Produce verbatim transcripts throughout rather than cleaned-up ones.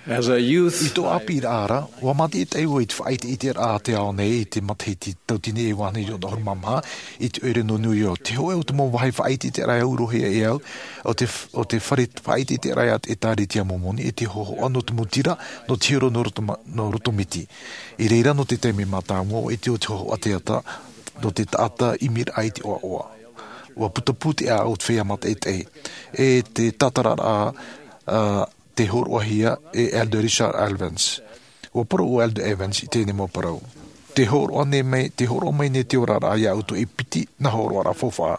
I tō ʻāpīraʻa ra, ʻua mātaʻitaʻi vau i te faʻaʻiteʻiteraʻa a te ao nei i te matahiti tauatini e iva ʻahuru mā maha, i te ʻoire nō New York. Te hōʻē o te mau vāhi faʻaʻiteʻiteraʻa e aurohia e au, ʻo te, ʻo te fare faʻaʻiteʻiteraʻa a te ʻĒtārētia Mōmoni, ʻe te hōhoʻa nō te mau tira, nō te hiero nō roto ma-, nō roto miti. I reira nō te taime mātāmua, ʻua ʻite ʻo te hōhoʻa te ata, nō te taʻata ʻimiraʻa i te ʻoaʻoa. ʻUa putapū te ʻāʻau o te feiā mātaʻitaʻi. ʻE te tātararaʻa, ā, tei hōroʻahia e Elder Richard Evans. ʻUa parau ʻo Elder Evans i teie nei mau parau. Tē hōroʻa nei mai, tē hōroʻa mai nei te oraraʻa iā ʻoutou e piti nā hōroʻaraʻa faufaʻa.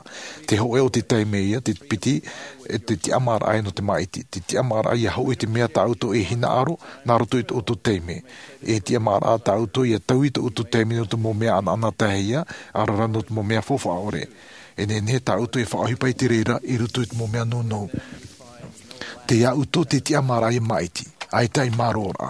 Te hōʻē o te taime ia, te piti, ʻe te tiʻamāraʻa nō te māʻiti. Te tiʻamāraʻa ʻia hōʻē i te mea tā ʻoutou e hinaʻaro, nā roto i tō ʻoutou taime. ʻE tiʻamāraʻa tā ʻoutou ʻia taui tō ʻoutou taime nō te mau mea anaanatae ia, ʻaore rā nō te mau mea faufaʻa ʻore. E nehenehe tā ʻoutou e faʻaʻohipa i te reira, i roto i te mau mea nounou. Tei iā ʻoutou te tiʻamāraʻa ʻia māʻiti, ʻaita i mārōraʻa.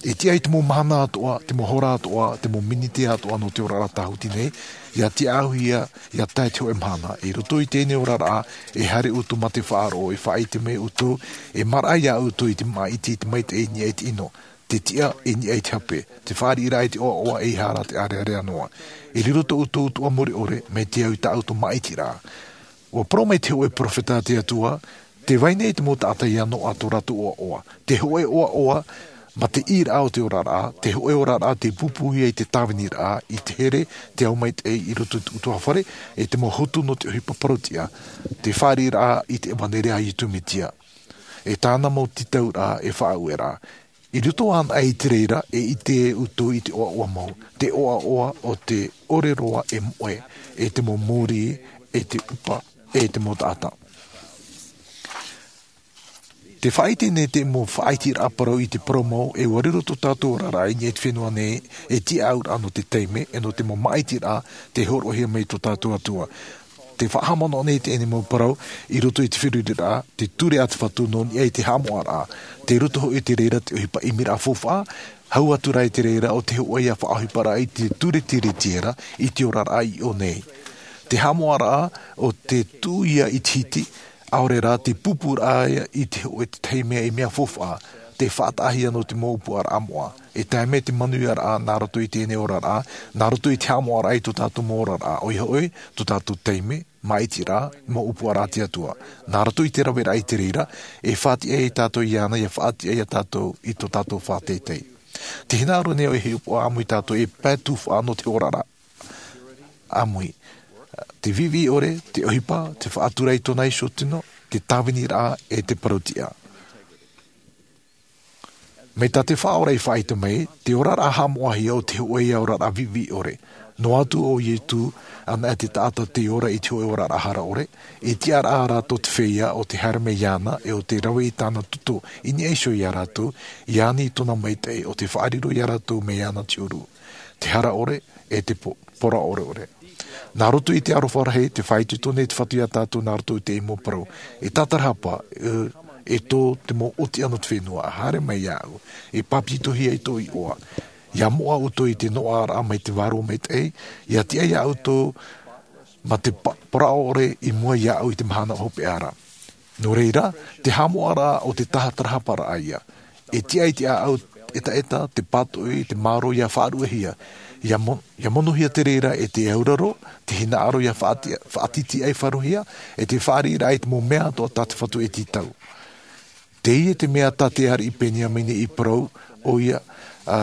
E tiʻa i te mau mahana atoʻa, te mau hora atoʻa, te mau miniti atoʻa nō te oraraʻa tāhuti nei, ʻia tiʻaʻauhia, ʻia tae te hōʻē mahana. I roto i teie nei oraraʻa, e haere ʻoutou mā te faʻaroʻo, e faʻaʻite mai ʻoutou, e maraʻa iā ʻoutou i te māʻiti, i te maitaʻi i niʻa i te ʻino, te tiʻa i niʻa i te hape, te fāriʻiraʻa i te ʻoaʻoa ʻeiaha rā te ʻārearea noa. E riro tō ʻoutou utuʻa mure ʻore, mai te au i tā ʻoutou māʻitiraʻa. ʻUa parau mai te hōʻē perofeta a te Atua, tē vai nei te mau taʻata ʻia noaʻa tō rātou ʻoaʻoa. Te hōʻē ʻoaʻoa, mā te ʻīraʻa o te oraraʻa, te hōʻē oraraʻa tei pūpūhia i te tāviniraʻa, i te here, te ao maitaʻi i roto i te ʻutuāfare, ʻe te mau hotu nō te ʻohipa parau-tiʻa, te fāriʻiraʻa i te ʻevaneria a Iesu Mesia. ʻE tāna mau tītauraʻa e faʻaueraʻa. I roto anaʻe i te reira, e ʻite ʻoutou i te ʻoaʻoa mau, te ʻoaʻoa o te ʻore roa e moʻe, ʻe te mau mōrī, ʻe te ʻupa, ʻe te mau taʻata. Tē faʻaʻite nei te mau faʻaʻiteraʻa parau i te parau mau, e ʻua riro tō tātou oraraʻa i niʻa i te fenua nei, e tiʻaʻauraʻa nō te taime, ʻe nō te mau māʻitiraʻa, tei hōroʻahia mai tō tātou Atua. Tē faʻahaʻamanaʻo nei teie nei mau parau, i roto i te feruriraʻa, te ture a te Fatu nō niʻa i te haʻamoʻaraʻa. Tei roto hoʻi i te reira te ʻohipa ʻimiraʻa faufaʻa, hau atu rā i te reira ʻo te hōʻē ïa faʻaʻohiparaʻa i te ture tiriti ra, i te oraraʻa i ʻō nei. Te haʻamoʻaraʻa, ʻo te tuʻu ïa i te hiti, ʻaore rā te pūpūraʻa ïa i te hōʻē te tahi mea i mea faufaʻa, tē faʻataʻahia nō te mau ʻōpuaraʻa moʻa. E tae mai te manuiaraʻa nā roto i teie nei oraraʻa, nā roto i te haʻamoʻaraʻa i tō tātou mau oraraʻa, ʻoia hoʻi, tō tātou taime, māʻitiraʻa, mau ʻōpuaraʻa a te Atua. Nā roto i te raveraʻa i te reira, e faʻatiʻa ia tātou iāna, ʻia faʻatiʻa ia tātou i tō tātou faʻateitei. Tē hinaʻaro nei ʻoe e hiʻopoʻa ʻāmui tātou e pae tufaʻa nō te oraraʻa ʻāmui. Te viʻiviʻi ʻore, te ʻohipa, te faʻatura i tōna iho tino, te tāviniraʻa, ʻe te parau-tiʻa. Mai tā te Faʻaora i faʻaʻite mai, te oraraʻa haʻamoʻahia ʻo te hōʻē ïa oraraʻa viʻiviʻi ʻore. Noa atu ʻo Iesu, ʻanaʻe te taʻata tei ora i te hōʻē oraraʻa hara ʻore, e tiʻaraʻa rātou te feiā ʻo tē haere mai iāna, ʻe ʻo tē rave i tāna toto, i niʻa iho iā rātou, ʻia ani i tōna maitaʻi, ʻo tē faʻariro iā rātou mai iāna te ʻuru. Te hara ʻore, ʻe te po-, poroʻa ʻoreʻore. Nā roto i te aroha rahi, tē faʻaitoito nei te Fatu iā tātou nā roto i teie mau parau. E tātarahapa, e, e tō te mau ʻōtiʻa nō te fenua, haere mai iāʻu, e pāpetitohia i tō iʻoa. ʻIa moʻa ʻoutou i te noaʻaraʻa mai te Vārua Maitaʻi, ʻia tiʻa iā ʻoutou mā te pa-, poroʻa ʻore i mua iāʻu i te mahana hopeʻa ra. Nō reira, te haʻamoʻaraʻa ʻo te tātarahaparaʻa ïa. E tiʻa i te ʻāʻau ʻetaʻeta, te pātoʻi, te mārō ʻia faʻaruʻehia. ʻIa mo-, ʻia monohia te reira ʻe te auraro, te hinaʻaro ʻia faʻati-, faʻatītīʻaifarohia, ʻe te fāriʻiraʻa i te mau mea atoʻa tā te Fatu e tītau. Teie te mea tā te ariʻi Peniamina i parau, ʻoia, ā,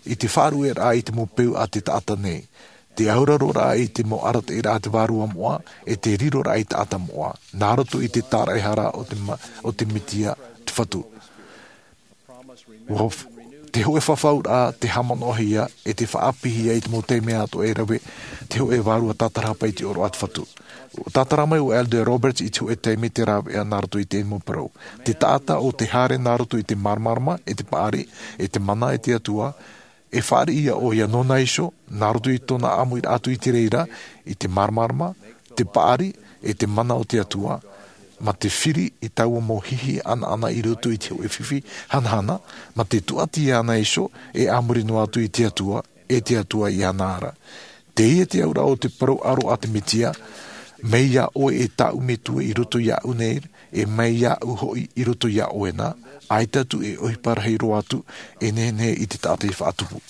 i te faʻaruʻeraʻa i te mau peu a te taʻata nei. Te auraroraʻa i te mau arataʻiraʻa a te Vārua Moʻa, ʻe te riroraʻa i taʻata moʻa, nā roto i te tāraʻehara o te ma-, o te Mesia te Fatu. ʻUa f-, te hōʻē fafauraʻa, te haʻamanaʻohia, ʻe te faʻaʻāpīhia i te mau taime atoʻa e rave, te hōʻē vārua tātarahapa i te ʻōroʻa a te Fatu. ʻUa tātara mai ʻo Elder Roberts i te hōʻē taime te rāveʻa nā roto i teie mau parau. Te taʻata ʻo tē haere nā roto i te māramarama, ʻe te paʻari, ʻe te mana ʻe te Atua, e fāriʻi ïa ʻoia nōna iho, nā roto i tōna ʻāmuiraʻa atu i te reira, i te māramarama, te paʻari, ʻe te mana o te Atua, mā te firi i taua mau hihi ʻanaʻana i roto i te hōʻē fifi hanahana, mā te tūʻati iāna iho, ʻe a muri noa atu i te Atua, ʻe te Atua iāna ra. Teie te auraʻa o te parau ʻaro a te Mesia, mai iā ʻoe e tāʻu Metua i roto iāʻu nei, E mai iāʻu hoʻi i roto iā ʻoe na, ʻaita atu e ʻohipa rahi roa atu e nehenehe i te taʻata i faʻatupu.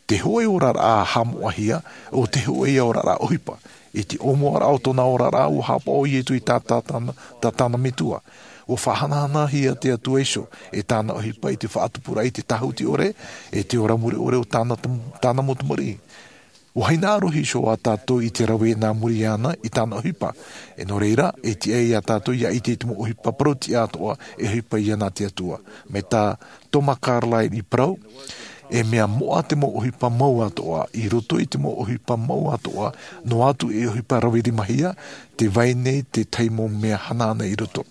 Te hōʻē oraraʻa haʻamoʻahia, ʻo te hōʻē ia oraraʻa ʻohipa. I te ʻōmuaraʻa o tōna oraraʻa, ua haʻapaʻo iesu i tā tāna metua. Ua faʻahanahanahia te atua iho e tāna ʻohipa i te faʻatupuraʻa i te tāhuti ʻore, e te ora mure ʻore o tāna mau tamariʻi. Ua hinaʻaro iho ā tātou i te rave nā muri iāna i tāna ʻohipa. E nō reira, e tiʻa iā tātou ia ʻite i te mau ʻohipa parau tiʻa atoʻa e ʻohipa iāna te atua. Mai tā toma carlyle i parau, e mea moʻa te mau ʻohipa mau atoʻa. I roto i te mau ʻohipa mau atoʻa, noa atu e ʻohipa rave rimahia, te vai nei te tahi mau mea hanahana i roto.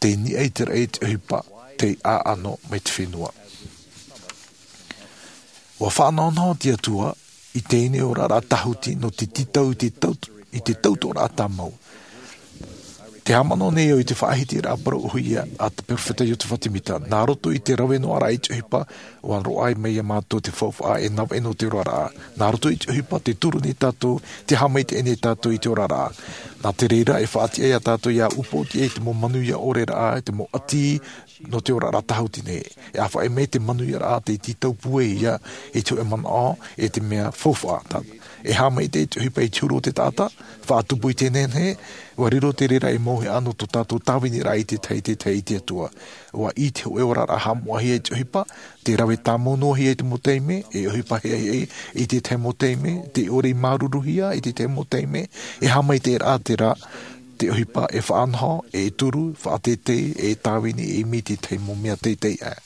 Te niʻa i te raʻi te ʻohipa, te ʻaʻano mai te fenua. Ua faʻanahonaho te atua i teie nei oraraʻa tāhuti nō te tītau i te tautoʻoraʻa tāmau. Te haʻamanaʻo nei au i te faʻahitiraʻa parau ʻohie a te peropheta iosepha semita, nā roto i te rave noa raʻa i te ʻohipa, ua roaʻa mai iā mātou te faufaʻa e navaʻi nō te oraraʻa. Nā roto i te ʻohipa te turu nei tātou, te haʻamaitaʻi nei tātou i te oraraʻa. Nā te reira e faʻatiʻa iā tātou ia upoʻotiʻa i te mau manuia ʻore raʻa, te mau ʻati nō te oraraʻa tāhuti nei. E ʻāfaʻi mai te manuiaraʻa te tītau pūai ia i te hōʻē manaʻo e te mea faufaʻa. E haʻamaitaʻi te ʻohipa i te huru o te taʻata, faʻatupu i te nehenehe. Ua riro te reira ei mauhaʻa nō tō tātou tāviniraʻa i te tahi i te tahi i te atua. Ua ʻī te hōʻē oraraʻa haʻamoʻahia i te ʻohipa, te rave tāmau noa hia i te mau taime, e ʻohipa heʻeheʻe i te tahi mau taime, te ʻore i māuruuruhia i te tahi mau taime. E haʻamaitaʻiraʻa te rā, te ʻohipa e faʻanaho, e turu, faʻateitei, e tāvini, e ʻimi i te tahi mau mea teitei aʻe.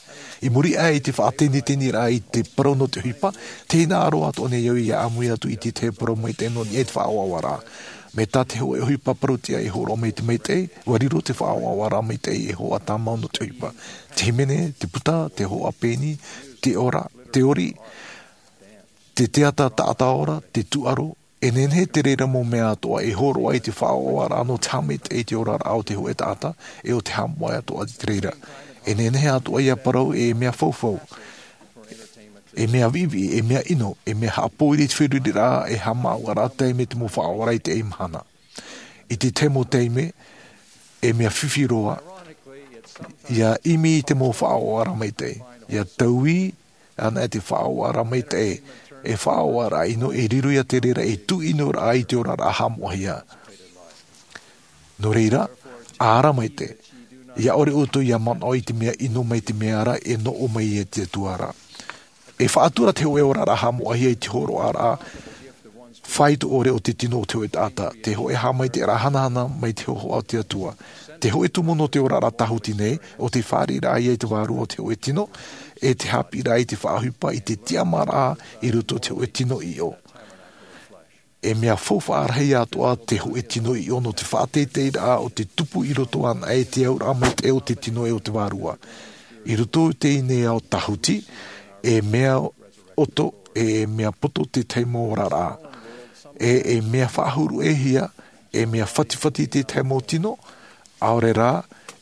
I muri aʻe i te faʻateniteniraʻa i te parau nō te ʻohipa, te hinaʻaro atoʻa nei au ia ʻāmui atu i te tahi parau maitaʻi nō niʻa i te faʻaʻoaʻoaraʻa. Mai tā te hōʻē ʻohipa parau tiʻa e hōroʻa mai te maitaʻi, ua riro te faʻaʻoaʻoaraʻa maitaʻi ei hōʻē tāmau nō te ʻohipa. Te hīmene, te puta, te hōʻē peni, te ora, te ori, te teata taʻata ora, te tūʻaro, e nehenehe te reira mau mea atoʻa e hōroʻa i te faʻaʻoaʻoaraʻa nō te haʻamaitaʻi i te oraraʻa o te hōʻē taʻata, e ʻo te haʻamoʻahia atoʻa i te reira. E nehenehe atoʻa ia parau e mea faufaʻa, e mea viʻiviʻi, e mea ʻino, e mea haʻapōiri i te feruriraʻa, e haʻamāuʻaraʻa taime te mau faʻaʻoaʻoaraʻa i teie mahana. I te tahi mau taime, e mea fifi roa ia ʻimi i te mau faʻaʻoaʻoaraʻa maitaʻi, ia taui ana e te faʻaʻoaʻoaraʻa maitaʻi, e faʻaʻoaʻoaraʻa ʻino e riro ia te reira ei tuʻinoraʻa i te oraraʻa haʻamoʻahia. Nō reira, ara maitaʻi, ia ʻore ʻoutou ia manaʻo i te mea ʻino mai te mea ra e noʻo mai e te atua ra. E faʻatura te hōʻē oraraʻa haʻamoʻahia i te hōroʻaraʻa faito ʻore o te tino o te hōʻē taʻata, te hōʻē haʻamaitaʻiraʻa hanahana mai te hōhoʻa o te atua, te hōʻē tumu nō te oraraʻa tāhuti nei, ʻo te fāriʻiraʻa ia i te vārua o te hōʻē tino, e te haʻapiʻiraʻa i te faʻaʻohipa i te tiʻamāraʻa i roto i te hōʻē tino ʻiʻo. E mea faufaʻa rahi atoʻa te hōʻē tino ʻiʻo nō te faʻateiteiraʻa o te tupu i roto ana e te auraʻa maitaʻi o te tino e o te vārua. I roto i teie nei ao tāhuti, e mea ʻoto, e mea poto te tahi mau oraraʻa, e e mea faʻahuru ʻē hia, e mea fatifati te tahi mau tino, ʻaore rā,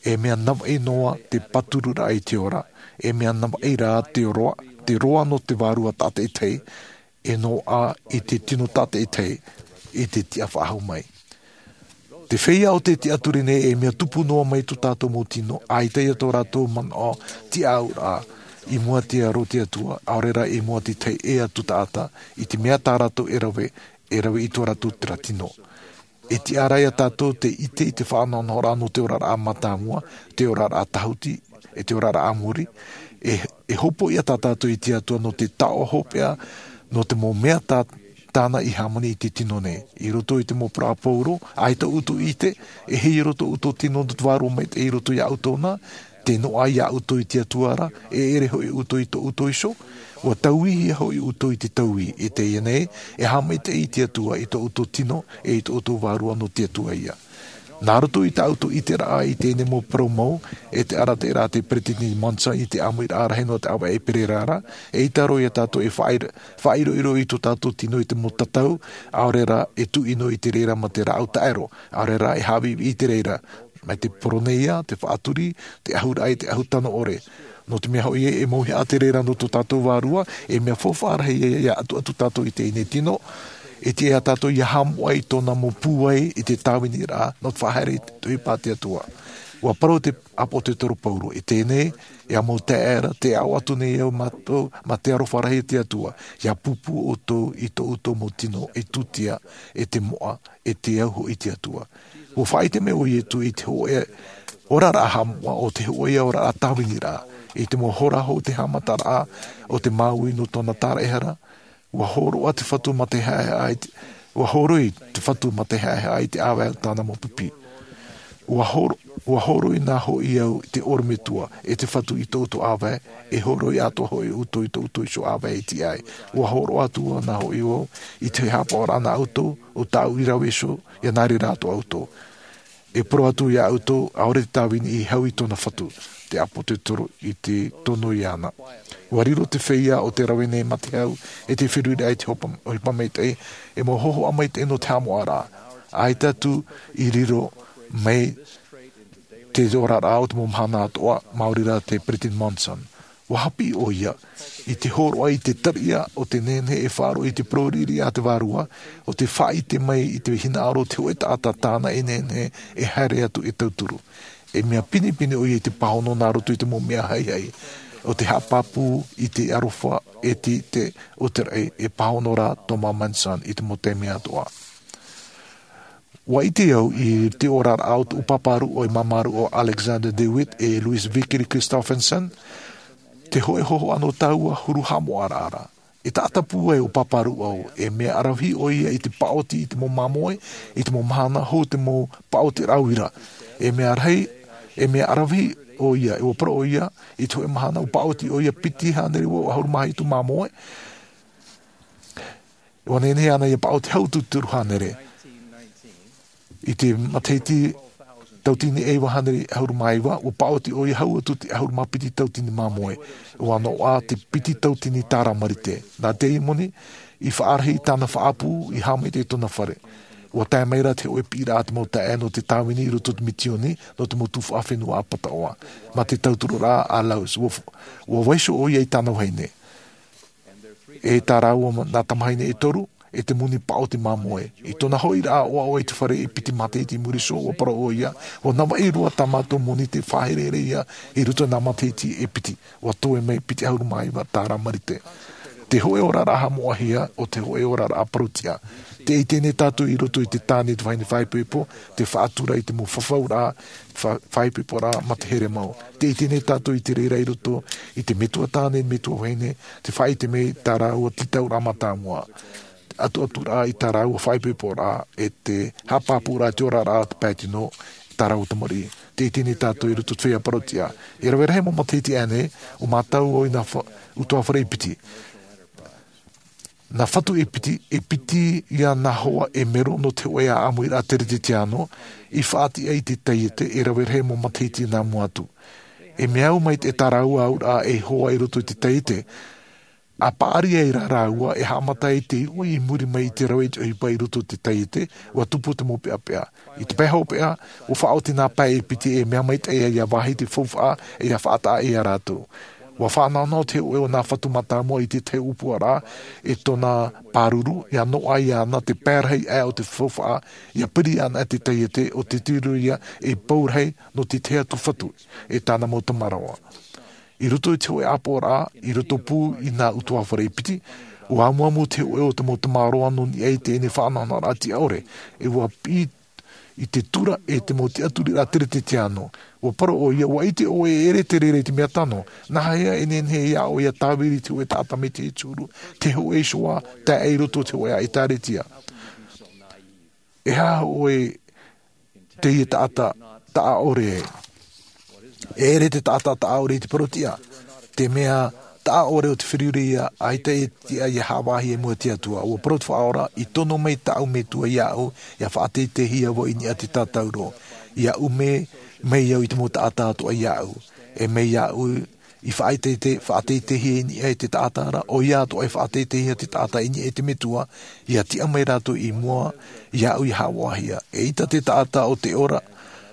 e mea navaʻi noa te pātururaʻa i te ora, e mea navaʻi rā te roa, te roa nō te vārua tātaʻitahi, e noaʻa i te tino tātaʻitahi i te tiʻa faʻahou mai. Te feiā o te tiʻaturi nei e mea tupu noa mai tō tātou mau tino, ʻaita ia tō rātou manaʻo tiʻauraʻa i mua te aro o te atua, ʻaore rā i mua te tahi ʻē atu taʻata, i te mea tā rātou e rave, e rave i tō rātou terā tino. E tiʻa ra ia tātou te ʻite i te faʻanahonahoraʻa nō te oraraʻa mātāmua, te oraraʻa tāhuti, e te oraraʻa a muri, e e hopoiʻa tā tātou i te atua nō te taoʻa hopeʻa nō te mau mea tā tāna i hāmani i te tino nei. I roto i te mau parau a paulo, ʻaita ʻoutou i ʻite, e hei roto ʻoutou tino nō te vārua maitaʻi i roto iā ʻoutou na, te noaʻa iā ʻoutou i te atua ra, e ʻere hoʻi ʻoutou i tō ʻoutou iho, ua tauihia hoʻi ʻoutou i te taui. I teie nei, e haʻamaitaʻi i te atua i tō ʻoutou tino, e i tō ʻoutou vārua nō te atua ia. Nā roto i tā ʻoutou ʻiteraʻa i teie nei mau parau mau, e te arataʻiraʻa a te peresideni monson i te ʻāmuiraʻa rahi nō te ʻāvaʻe e pererā ra, e ʻita roa ia tātou e faʻairoiro i tō tātou tino i te mau tatau, ʻaore rā e tuʻino i te reira mā te rāʻau taʻero, ʻaore rā e haʻaviʻiviʻi i te reira, mai te poroneia, te faʻaturi, te ʻahuraʻa i te ʻahu tano ʻore. Nō te mea hoʻi ē, e mauhaʻa te reira nō tō tātou vārua, e mea faufaʻa rahi ia ia ʻatuʻatu tātou i teie nei tino, e tiʻa ia tātou ia haʻamoʻa i tōna mau pūai i te tāviniraʻa nō te faʻahaere i te ʻohipa a te atua. Ua parau te ʻāpōsetolo Paulo, e teie nei, e ʻamu taʻera, te aʻo atu nei au mātou, mā te aroha rahi o te Atua, ia pūpū ʻoutou i tō ʻoutou mau tino, e tūtia, e te moʻa, e te au hoʻi i te Atua. Ua faʻaʻite mai ʻo Ietu i te hōʻē oraraʻa haʻamoʻa, ʻo te hōʻē oraraʻa tāviniraʻa, i te mau hora hou te haʻamataraʻa o te māuiui nō tōna taraehara. Ua hōroʻa te Fatu mā te haʻehaʻa i te, ua hōroi te Fatu mā te haʻehaʻa i te ʻāvae o tāna mau pipi. Ua hōro-, ua hōroi nā hoʻi au i te ʻorometua, e te Fatu i tō ʻoutou ʻāvae, e hōroi atoʻa hoʻi ʻoutou i tō ʻoutou iho ʻāvae e tiʻa ai. Ua hōroʻa atu nā hoʻi au i te haʻapaʻoraʻa nā ʻoutou, ʻo tāʻu i rave iho, ia nā reira atoʻa ʻoutou. E parau atu ia ʻoutou, ʻaore te tāvini i hau i tōna Fatu, te ʻāpōsetolo i te tono iāna. Ua riro te feiā o te rave nei mā te hau, e te feruriraʻa i te hopa-, ʻohipa maitaʻi, e mau hōhoʻa maitaʻi nō te haʻamoʻaraʻa. ʻAita atu i riro mai te oraraʻa o te mau mahana atoʻa, maori rā te Peresideni Monson. Ua haʻapiʻi ʻoia, i te hōroʻa i te tariʻa o te nehenehe e faʻaroʻo i te parau riʻiriʻa a te Vārua, ʻo te faʻaʻite mai i te hinaʻaro o te hōʻē taʻata tāna e nehenehe e haere atu e tauturu. E mea pinepine ʻoia i te pāhono nā roto i te mau mea haihai, ʻo te haʻapāpū i te aroha e te, te, o te raʻi, e pāhono rā Thomas Monson i te mau taime atoʻa. Ua ʻite au i te oraraʻa o tōʻu pāpā rūʻau, e māmā rūʻau Alexander DeWitt, e Louis Vickery Christofferson, te hōʻē hōhoʻa nō tāua huru haʻamoʻaraʻa. E taʻata pūai ʻo pāpā rūʻau, e mea ʻaravihi ʻoia i te paʻoti i te mau māmoe, i te mau mahana hou te mau paʻoti rāuira. E mea rahi, e mea ʻaravihi ʻoia, e ua parau ʻoia, i te hōʻē mahana ua paʻoti ʻoia piti hānere vaʻu ʻahuru mā hitu māmoe. Ua nehenehe ana ia paʻoti hau atu te toru hānere. I te matahiti tauatini e iva hānere ʻahuru mā iva, ua paʻoti ʻoia hau atu te ʻahuru mā piti tauatini māmoe. Ua noaʻa te piti tauatini tāra marite. Nā te moni, i faʻarahi tāna faʻaʻapu, i haʻamaitaʻi tōna fare. Ua tae mai rā te hōʻē piʻiraʻa a te mau taeaʻe nō te tāvini i roto i te misiōni, nō te mau tuhaʻa fenua ʻāpataʻoa. Mā te tautururaʻa a Laus, ua, ua vaiiho ʻoia i tāna vahine. E tā rāua nā tamahine e toru, e te moni paʻoti māmoe. I tōna hoʻiraʻa ʻoaʻoa i te fare e piti matahiti i muri iho, ua parau ʻoia, ua navaʻi roa tā mātou moni tei faʻaherehere ia i roto i nā matahiti e piti. Ua toe mai piti ʻahuru mā iva tāra marite. Te hōʻē oraraʻa haʻamoʻahia, ʻo te hōʻē oraraʻa parau-tiʻa. Tē ʻite nei tātou i roto i te tāne i te vahine faʻaipoipo, te faʻatura i te mau fafauraʻa, fa-, faʻaipoiporaʻa mā te here mau. Tē ʻite nei tātou i te reira i roto i te metua tāne, metua vahine, te faʻaʻite mai tā rāua tītauraʻa mātāmua. Atuaturaʻa i tā rāua faʻaipoiporaʻa, e te haʻapāpūraʻa i te oraraʻa o te pae tino, tā rāua tamariʻi. Tē ʻite nei tātou i roto i te feiā parau-tiʻa. E rave rahi mau matahiti aʻe nei, ʻua mātau au i nā fa-, ʻutuāfare e piti. Nā Fatu e piti, e piti ia nā hoa e mero nō te hōʻē ʻāʻamuiraʻa teretetiāno, i faʻatiʻa i te taiete, e rave rahi mau matahiti nā mua atu. E mea au mai te tā rāua auraʻa e hoa i roto i te taiete, ʻa paʻari ai rā rāua e haʻamata i te uʻi i muri mai i te rave i te ʻohipa i roto i te taiete, ua tupu te mau peʻapeʻa. I te pae hopeʻa, ua faʻaoti nā pae e piti e mea maitaʻi ia vāhi te faufaʻa, e ia faʻataʻa ia rātou. Ua faʻanahonaho te hōʻē o nā Fatu mātāmua i te tahi ʻōpuaraʻa, e tōna pāruru, ia noaʻa iāna te pae rahi aʻe o te faufaʻa, ia piri ana te taiete, ʻo te tiro ia e pou rahi nō te tahi atu Fatu, e tāna mau tamāroa. I roto i te hōʻē ʻāpoʻoraʻa, i roto pū i nā ʻutuāfare e piti, ua amuamu te hōʻē o te mau tamāroa nō niʻa i teie faʻanahonahoraʻa tiʻa ʻore, e ua piʻi i te tura e te mau tiʻaturiraʻa teretetiāno. Ua parau ʻoia, ua ʻite ʻoe e ʻere te reira i te mea tano, nāhea e nehenehe ia ʻoe ia tāviri i te hōʻē taʻata mai te huru, te hōʻē iho ā, tae i roto i te hōʻē ʻĒtārētia. E aha ʻoe teie taʻata taʻa ʻore? E ʻere te taʻata taʻa ʻore i te parau-tiʻa. Te mea taʻa ʻore o te feruriraʻa, ʻaita e tiʻa ia haʻavāhi i mua i te Atua. Ua parau te Faʻaora, i tono mai tāʻu Metua iāʻu, ia faʻateiteihia vau i niʻa i te tātauro. Ia ʻume mai au i te mau taʻata atoʻa iāʻu. E mai iāʻu i faʻateitei-, faʻateiteihia i niʻa i te taʻata ra, ʻoia atoʻa e faʻateiteihia te taʻata i niʻa i te Metua, ia tiʻa mai rātou i mua iāʻu ia haʻavāhia. Eʻita te taʻata o te ora,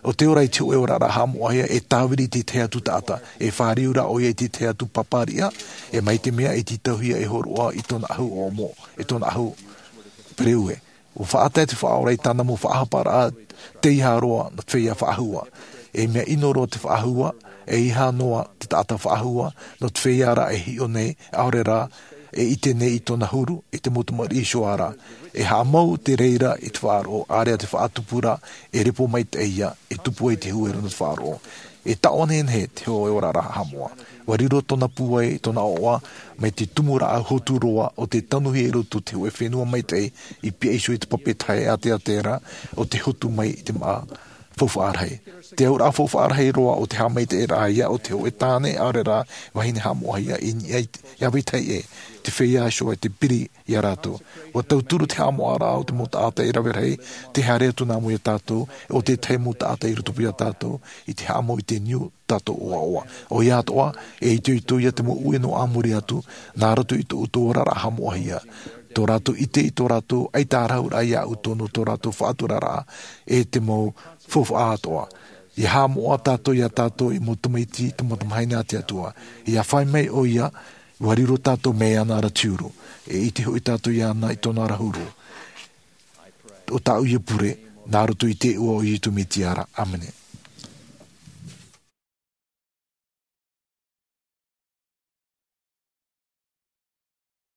o te ora i te hōʻē oraraʻa haʻamoʻahia, e tāviri i te tahi atu taʻata, e fāriu rā ʻoia i te tahi atu pāpāriʻa, e mai te mea e tītauhia e hōroʻa i tōna ʻahu ʻōmoʻa, e tōna ʻahu pereue. Ua faʻatae te Faʻaora i tāna mau faʻahaparaʻa teiaha roa nā te feiā faʻahou. E mea ʻino roa te faʻahua, e ʻeiaha noa te taʻata faʻahua nō te feiā ra e hiʻo nei, ʻaore rā e ʻite nei i tōna huru, i te mau tamariʻi iho ra. E haʻamau te reira i te faʻaroʻo, ʻāreʻa te faʻatupu ra, e repo maitaʻi ia, e tupu ai te huero nō te faʻaroʻo. E taʻonenehe te hōʻē oraraʻa haʻamoʻa. Ua riro tōna pūai i tōna ʻoaʻoa mai te tumu rāʻau hotu roa o te tanuhia i roto i te hōʻē fenua maitaʻi, i pihaʻi iho i te pape tahe ʻāteʻate ra o te hotu mai i te māʻa faufaʻa rahi. Te auraʻa faufaʻa rahi roa o te haʻamaitaʻiraʻa ia o te hōʻē tāne ʻaore rā vahine haʻamoʻahia i niʻa i te, i ʻāvaitahi ʻē, te feiā iho e te piri iā rātou. Ua tauturu te haʻamoʻaraʻa o te mau taʻata i rave rahi, te haere atu nā mua iā tātou, o tētahi mau taʻata i rotopū iā tātou, i te haʻamau i te niu tātou ʻoaʻoa. ʻOia atoʻa, e itoito ia te mau ue nō ā muri atu, nā roto i tō ʻoutou oraraʻa haʻamoʻahia. Tō rātou ʻite i tō rātou ʻaita ā rātou iā ʻoutou nō tō rātou faʻaturaraʻa, e te mau faufaʻa atoʻa. ʻIa haʻamoʻa tātou iā tātou ei mau tamaiti, te mau tamahine a te Atua. ʻIa fai mai ʻoia, ua riro tātou mai iāna ra te huru. E ʻite hoʻi tātou iāna i tōna ra huru. ʻO tāʻu ia pure, nā roto i te iʻoa o Iesu Mesia ra. ʻĀmene.